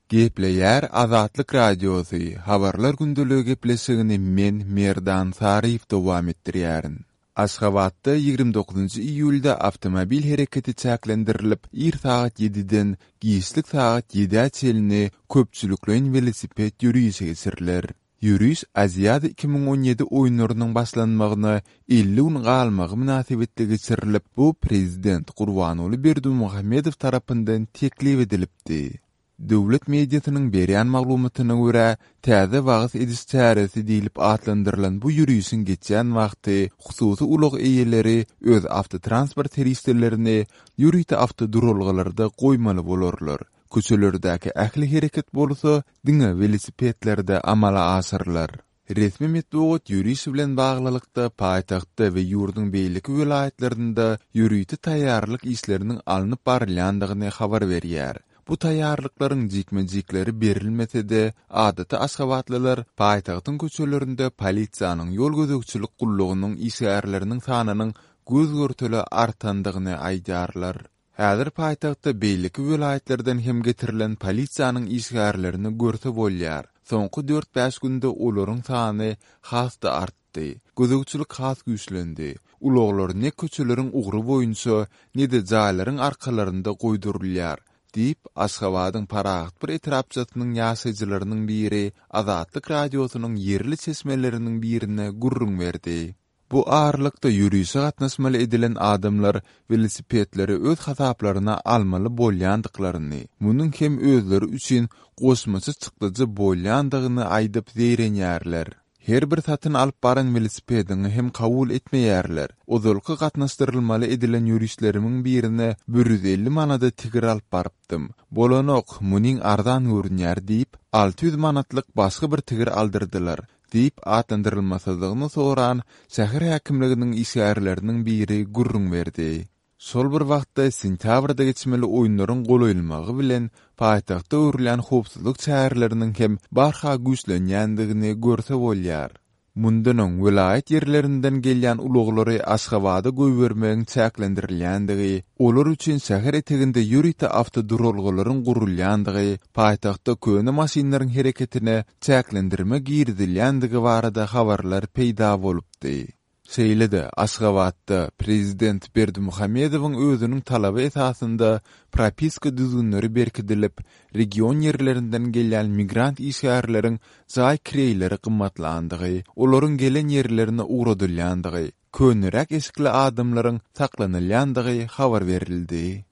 Gepleýär Azatlyk Radiosy, Habarlar gündeligi gepleşigini men, Merdan Saryýew dowam etdirýärin. Aşgabatda 29-njy iýulda awtomobil hereketi çäklendirilip, ir sagat ýediden giçlik sagat ýedä çenli köpçülikleýin welosiped ýörişi geçiriler. Ýöriş Aziada 2017 oýunlarynyň başlanmagyna 50 gün galmagy mynasybetli geçirilip, bu prezident Gurbanguly Berdimuhamedow tarapyndan teklip edilipdi. Döwlet mediasynyň berýän maglumatyna görä, täze wagyz ediş çäresi diýlip atlandyrylan bu ýörişiň geçýän wagty hususy ulag eýeleri öz awtotransport serişdelerini ýörite awtoduralgalarda goýmaly bolarlar. Köçelerdäki ähli hereket bolsa diňe welosipedlerde amala aşyrylar. Resmi metbugat ýöriş bilen baglylykda paýtagtda we ýurduň beýleki welaýatlarynda ýörite taýýarlyk işleriniň alnyp barylýandygyny habar berýär. Bu taýýarlyklaryň jikme-jikleri berilmese-de, adaty aşgabatlylar paýtagtyň köçelerinde polisiýanyň ýol gözegçilik gullugynyň işgärleriniň sanynyň göz-görtele artandygyny aýdýarlar. Häzir paýtagtda beýleki welaýatlardan hem getirilen polisiýanyň işgärlerini görse bolýar. Soňky dört-bäş günde olaryň sany has-da artdy. Gözegçilik has güýçlendi. Ulaglar ne köçeleriň ugry boýunça, ne-de jaýlaryň arkalarynda goýdurylýar, diýip, Aşgabadyň Parahat bir etrapçasynyň ýaşaýjylarynyň biri Azatlyk Radiosynyň ýerli çeşmeleriniň birine gürrüň berdi. Bu aralykda ýörişe gatnaşmaly edilen adamlar welosipedleri öz hasaplaryna almaly bolýandyklaryny, munuň hem özleri üçin goşmaça çykdajy bolýandygyny aýdyp zeýrenýärler. Her bir satyn alyp baran welosipediňi hem kabul etmeýärler. Ozalky gatnaşdyrylmaly edilen ýörişlerimiň birine 150 manada tigir alyp barypdym. Bolanok, munyň arzan görünýär diýip, 600 manatlyk başga bir tigir aldyrdylar. Diýip, atlandyrylmasyzlygyny soran şäher häkimliginiň işgärleriniň biri gürrüň berdi. Şol bir wagtda, sentýabrda geçmeli oýunlaryň golaýlmagy bilen, paýtagtda görülýän howpsuzlyk çäreleriniň hem barha güýçlenýändigini görse bolýar. Mundan öň, welaýat ýerlerinden gelýän ulaglary Aşgabada goýbermegiň çäklendirilýändigi, olar üçin şäher eteginde ýörite awtoduralgalaryň gurulýandygy, paýtagtda köne maşynlaryň hereketine çäklendirme girizilýändigi barada habarlar peýda bolupdy. Şeýle-de, Aşgabatda prezident Berdimuhamedowyň özüniň talaby esasynda propiska düzgünleri berkidilip, region ýerlerinden gelýän migrant işgärleriň jaý kireýleri gymmatlandygy, olaryň gelen ýerlerine ugradylýandygy, köneräk eşikli adamlaryň saklanylýandygy habar berildi.